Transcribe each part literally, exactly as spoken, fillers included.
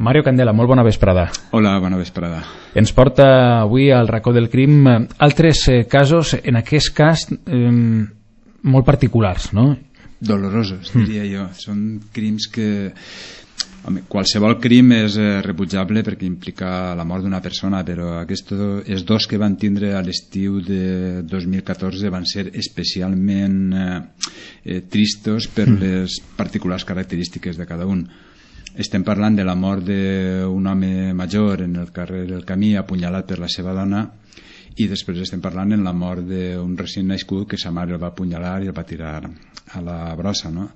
Mario Candela, molt bona vesprada. Hola, bona vesprada. Ens porta avui al racó del crim altres eh, casos, en aquest cas eh, molt particulars, no? Dolorosos, diria mm. jo. Són crims que... Home, qualsevol crim és eh, rebutjable perquè implica la mort d'una persona, però aquests dos que van tindre a l'estiu de dos mil catorze van ser especialment eh, eh, tristos per mm. les particulars característiques de cada un. Estem parlant de la mort d'un home major en el carrer del Camí, apunyalat per la seva dona, i després estem parlant en la mort d'un recient nascut que sa mare el va apunyalar i el va tirar a la brossa, no?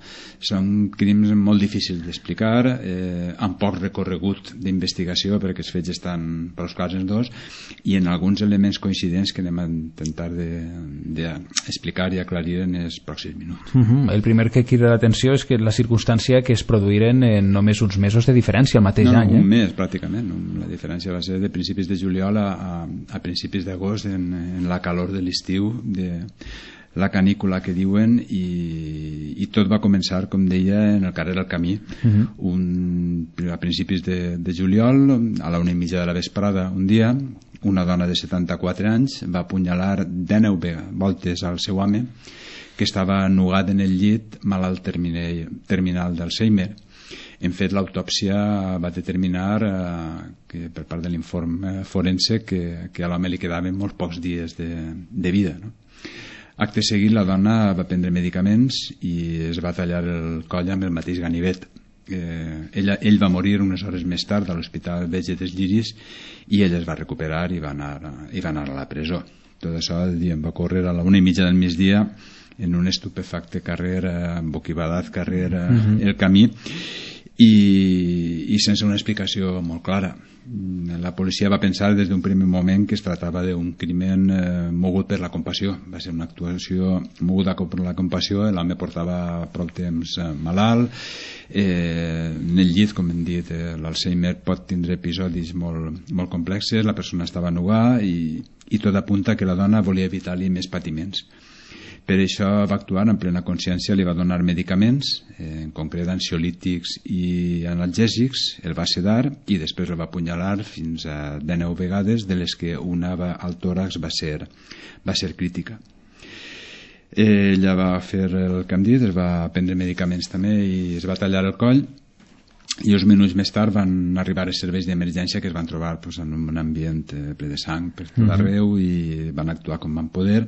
Són crims molt difícils d'explicar, eh, amb poc recorregut d'investigació perquè els fets estan prou clars els dos, i en alguns elements coincidents que anem a intentar d'explicar i aclarir en els pròxims minuts. Uh -huh. El primer que crida l'atenció és que la circumstància que es produïren en només uns mesos de diferència el mateix no, any. No, un eh? mes pràcticament. La diferència va ser de principis de juliol a, a, a principis d'agost, en, en la calor de l'estiu, de la canícula que diuen, i, i tot va començar, com deia, en el carrer del Camí. Uh-huh. un, a principis de, de juliol, a la una i mitja de la vesprada, un dia, una dona de setanta-quatre anys va apunyalar dènou voltes al seu home, que estava nugat en el llit, malalt terminal, terminal d'Alzheimer. Hem fet l'autòpsia, va determinar eh, que per part de l'informe forense que, que a l'home li quedaven molt pocs dies de, de vida, no? Acte seguit, la dona va prendre medicaments i es va tallar el coll amb el mateix ganivet. Eh, ella, ell va morir unes hores més tard a l'Hospital Verge dels Lliris i ell es va recuperar i va anar, i va anar a la presó. Tot això diem, va córrer a la una i mitja del migdia en un estupefacte carrer, eh, boquibadat carrer, eh, uh-huh. el Camí, i, i sense una explicació molt clara. La policia va pensar des d'un primer moment que es tractava d'un crimen eh, mogut per la compassió. Va ser una actuació moguda per la compassió. L'home portava prou temps eh, malalt, eh, en el llit, com hem dit, eh, l'Alzheimer pot tindre episodis molt, molt complexes, la persona estava nugada i, i tot apunta que la dona volia evitar-li més patiments. Per això va actuar en plena consciència, li va donar medicaments, eh, en concret ansiolítics i analgèsics, el va sedar i després el va apunyalar fins a dènou vegades, de les que una va, al tòrax va ser, va ser crítica. Eh, ella va fer el que hem dit, es va prendre medicaments també i es va tallar el coll, i uns minuts més tard van arribar els serveis d'emergència, que es van trobar pues, en un ambient eh, ple de sang per tot uh-huh. arreu, i van actuar com van poder,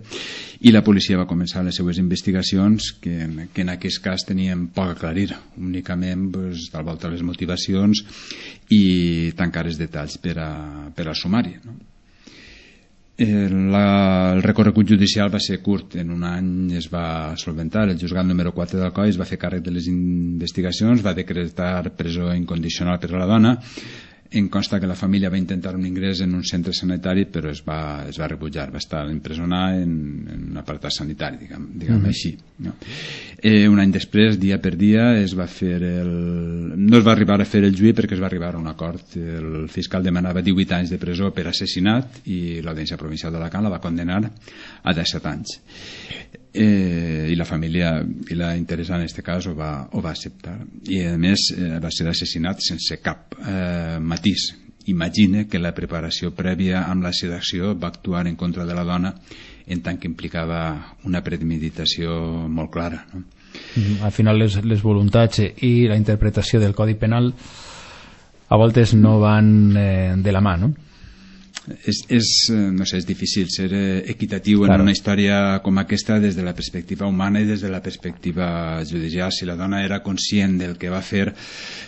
i la policia va començar les seues investigacions que, que en aquest cas tenien poc a aclarir, únicament pues, tal volta les motivacions i tancar els detalls per, a, per al sumari, no? La, el recorregut judicial va ser curt, en un any es va solventar. El juzgat número quatre d'Alcoi es va fer càrrec de les investigacions, va decretar presó incondicional per a la dona. Em consta que la família va intentar un ingrés en un centre sanitari, però es va, es va rebutjar, va estar empresonat en, en un apartat sanitari, diguem, diguem mm. així, no? Eh, un any després, dia per dia, es va fer el... no es va arribar a fer el juí perquè es va arribar a un acord. El fiscal demanava divuit anys de presó per assassinat i l'Audiència Provincial d'Alacant la va condenar a disset anys. Eh, i la família i la interessada en aquest cas ho va, ho va acceptar, i a més eh, va ser assassinat sense cap eh, matís. Imagina que la preparació prèvia amb la sedacció va actuar en contra de la dona, en tant que implicava una premeditació molt clara, no? Al final les, les voluntats i la interpretació del Codi Penal a voltes no van eh, de la mà, no? És, és, no sé, és difícil ser equitatiu claro. en una història com aquesta des de la perspectiva humana i des de la perspectiva judicial. Si la dona era conscient del que va fer,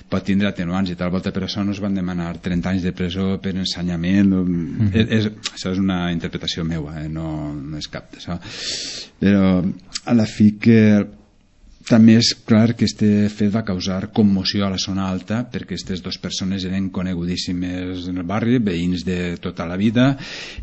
pot tindre atenuants i tal volta, per això no es van demanar trenta anys de presó per ensenyament. Mm-hmm. és, és, això és una interpretació meua, eh? no, no és cap d'això, però a la fi que també és clar que este fet va causar commoció a la zona alta, perquè aquestes dues persones eren conegudíssimes en el barri, veïns de tota la vida,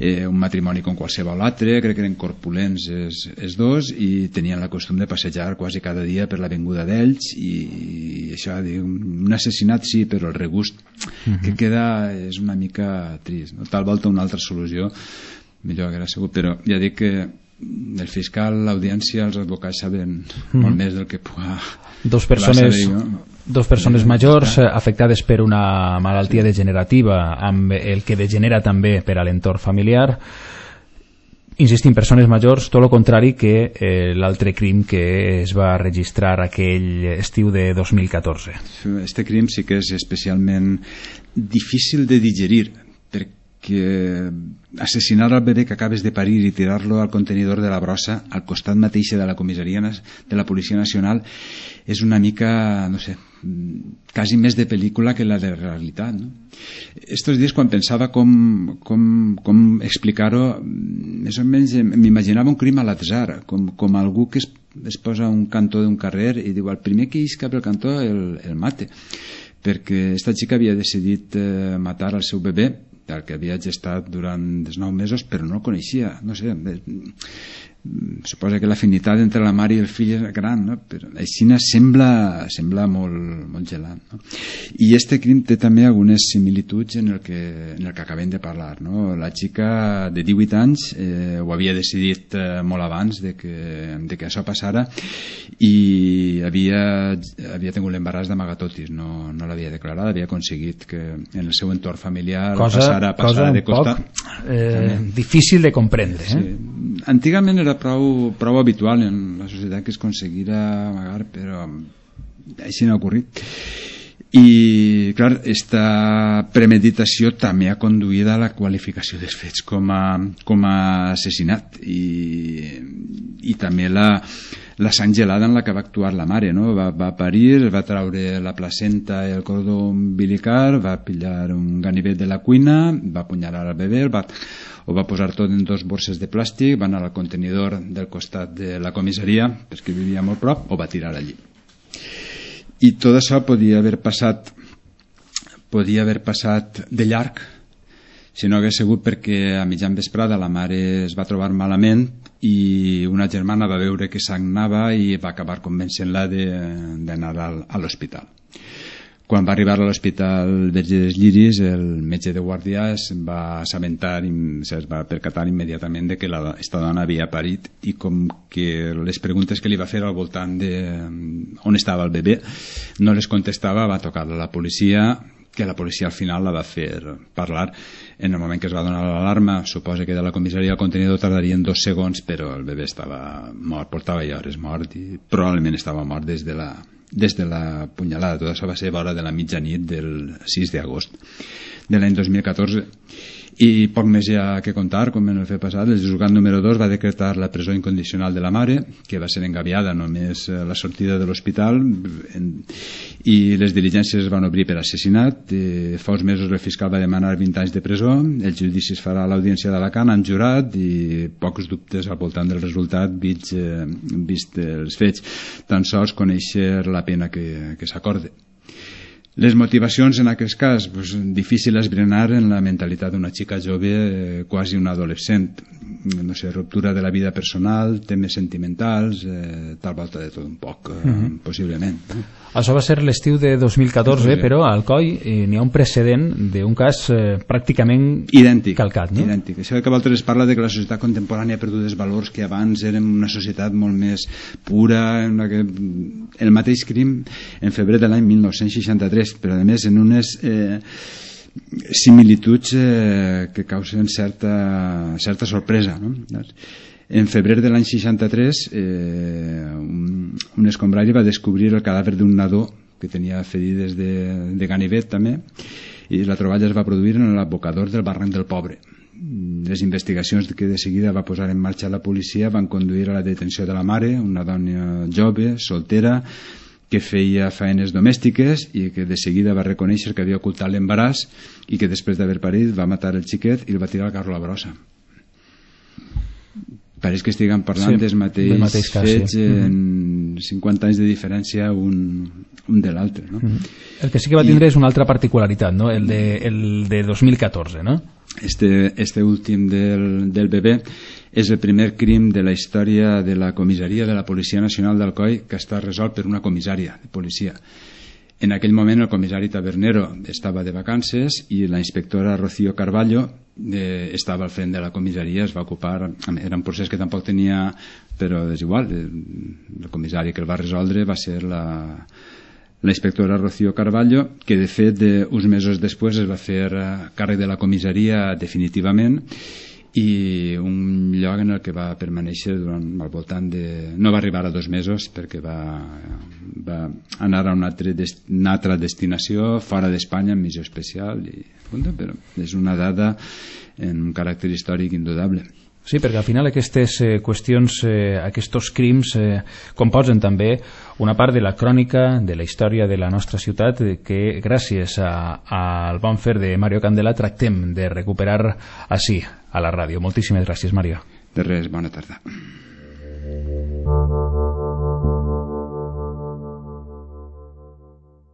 eh, un matrimoni com qualsevol altre, crec que eren corpulents els, els dos, i tenien la costum de passejar quasi cada dia per l'avinguda d'ells, i, i això, un assassinat sí, però el regust uh-huh. que queda és una mica trist, no? Tal volta una altra solució millor que era segur, però ja dic que el fiscal, l'audiència, els advocats saben mm. molt més del que puga... Dos persones, dos persones majors afectades per una malaltia sí. degenerativa amb el que degenera també per a l'entorn familiar. Insistim, persones majors, tot el contrari que eh, l'altre crim que es va registrar aquell estiu de dos mil catorze. Este crim sí que és especialment difícil de digerir, perquè assassinar el bebè que acabes de parir i tirar-lo al contenidor de la brossa al costat mateix de la comissaria de la Policia Nacional és una mica, no sé, quasi més de pel·lícula que la de realitat, no? Estos dies, quan pensava com, com, com explicar-ho, més o menys m'imaginava un crim a l'atzar, com, com algú que es, es posa a un cantó d'un carrer i diu, el primer que isca pel cantó el, el mate, perquè esta xica havia decidit eh, matar el seu bebè, el que havia gestat durant els nou mesos, però no el coneixia, no sé, suposa que l'afinitat entre la mare i el fill és gran, no? Però així sembla, sembla molt, molt gelat, no? I este crim té també algunes similituds en el que, en el que acabem de parlar, no? La xica de divuit anys eh, ho havia decidit eh, molt abans de que, de que això passara i havia, havia tingut l'embaràs d'amagatotis, no, no l'havia declarat, havia aconseguit que en el seu entorn familiar cosa, passara, passara cosa de costa. Poc, eh, difícil de comprendre, eh? Sí. Antigament era prou, prou habitual en la societat que es aconseguira amagar, però així no ha ocorrit. I, clar, esta premeditació també ha conduït a la qualificació dels fets com a, com a assassinat i, i també la, la sang gelada en la que va actuar la mare, no? Va, va parir, va traure la placenta i el cordó umbilical, va pillar un ganivet de la cuina, va apunyalar el bebè, el va... ho va posar tot en dos borses de plàstic, va anar al contenidor del costat de la comissaria, perquè vivia molt prop, o va tirar allí. I tot això podia haver passat podia haver passat de llarg si no hagués sigut perquè a mitjan vesprada la mare es va trobar malament i una germana va veure que sagnava i va acabar convencent-la d'anar a l'hospital. Quan va arribar a l'hospital Verge dels Lliris, el metge de guàrdia es va assabentar, es va percatar immediatament de que la, esta dona havia parit i com que les preguntes que li va fer al voltant de on estava el bebè no les contestava, va tocar a la policia, que la policia al final la va fer parlar. En el moment que es va donar l'alarma, suposa que de la comissaria al contenidor tardarien dos segons, però el bebè estava mort, portava ja hores mort i probablement estava mort des de la des de la punyalada. Tot això va ser a vora de la mitjanit del sis d'agost de l'any dos mil catorze. I poc més hi ha que contar, com en el fet passat. El juzgat número dos va decretar la presó incondicional de la mare, que va ser engaviada només a la sortida de l'hospital, i les diligències es van obrir per assassinat. Eh, fa uns mesos el fiscal va demanar vint anys de presó, el judici es farà a l'audiència d'Alacant, han jurat, i pocs dubtes al voltant del resultat vist, eh, vist els fets, tan sols conèixer la pena que, que s'acorde. Les motivacions en aquest cas, pues, difícil esbrinar en la mentalitat d'una xica jove, eh, quasi una adolescent, no sé, ruptura de la vida personal, temes sentimentals, eh, tal volta de tot un poc, eh, mm-hmm. possiblement. Això va ser l'estiu de dos mil catorze, però a Alcoi eh, n'hi ha un precedent d'un cas eh, pràcticament idèntic, calcat, no? Idèntic. Això que Walter es parla de que la societat contemporània ha perdut els valors que abans érem una societat molt més pura, en la que el mateix crim en febrer de l'any mil nou-cents seixanta-tres, però a més en unes eh, similituds eh, que causen certa, certa sorpresa, no? En febrer de l'any seixanta-tres eh, un, un escombrari va descobrir el cadàver d'un nadó que tenia ferides de, de ganivet també, i la troballa es va produir en l'abocador del barranc del Pobre. Les investigacions que de seguida va posar en marxa la policia van conduir a la detenció de la mare, una dona jove, soltera, que feia faenes domèstiques i que de seguida va reconèixer que havia ocultat l'embaràs i que després d'haver parit va matar el xiquet i el va tirar al carro a la brossa. Pareix que estiguem parlant sí, dels mateix, mateix cas, fets sí. en mm-hmm. cinquanta anys de diferència un, un de l'altre, no? Mm-hmm. El que sí que va tindre I, és una altra particularitat, no? El de, el de dos mil catorze, no? Este, este últim del, del bebè és el primer crim de la història de la comissaria de la Policia Nacional d'Alcoi que està resolt per una comissària de policia. En aquell moment el comissari Tabernero estava de vacances i la inspectora Rocío Carballo eh, estava al front de la comissaria, es va ocupar, era un procés que tampoc tenia, però és igual, el comissari que el va resoldre va ser la, la inspectora Rocío Carballo, que de fet de, uns mesos després es va fer càrrec de la comissaria definitivament, i un lloc en el que va permanèixer durant al voltant de... no va arribar a dos mesos perquè va, va anar a una altra, dest... una altra destinació fora d'Espanya en missió especial i, però és una dada en un caràcter històric indudable. Sí, perquè al final aquestes eh, qüestions, eh, aquests crims eh, composen també una part de la crònica de la història de la nostra ciutat eh, que gràcies a, al bon fer de Mario Candela tractem de recuperar així a la ràdio. Moltíssimes gràcies, Mario. De res, bona tarda.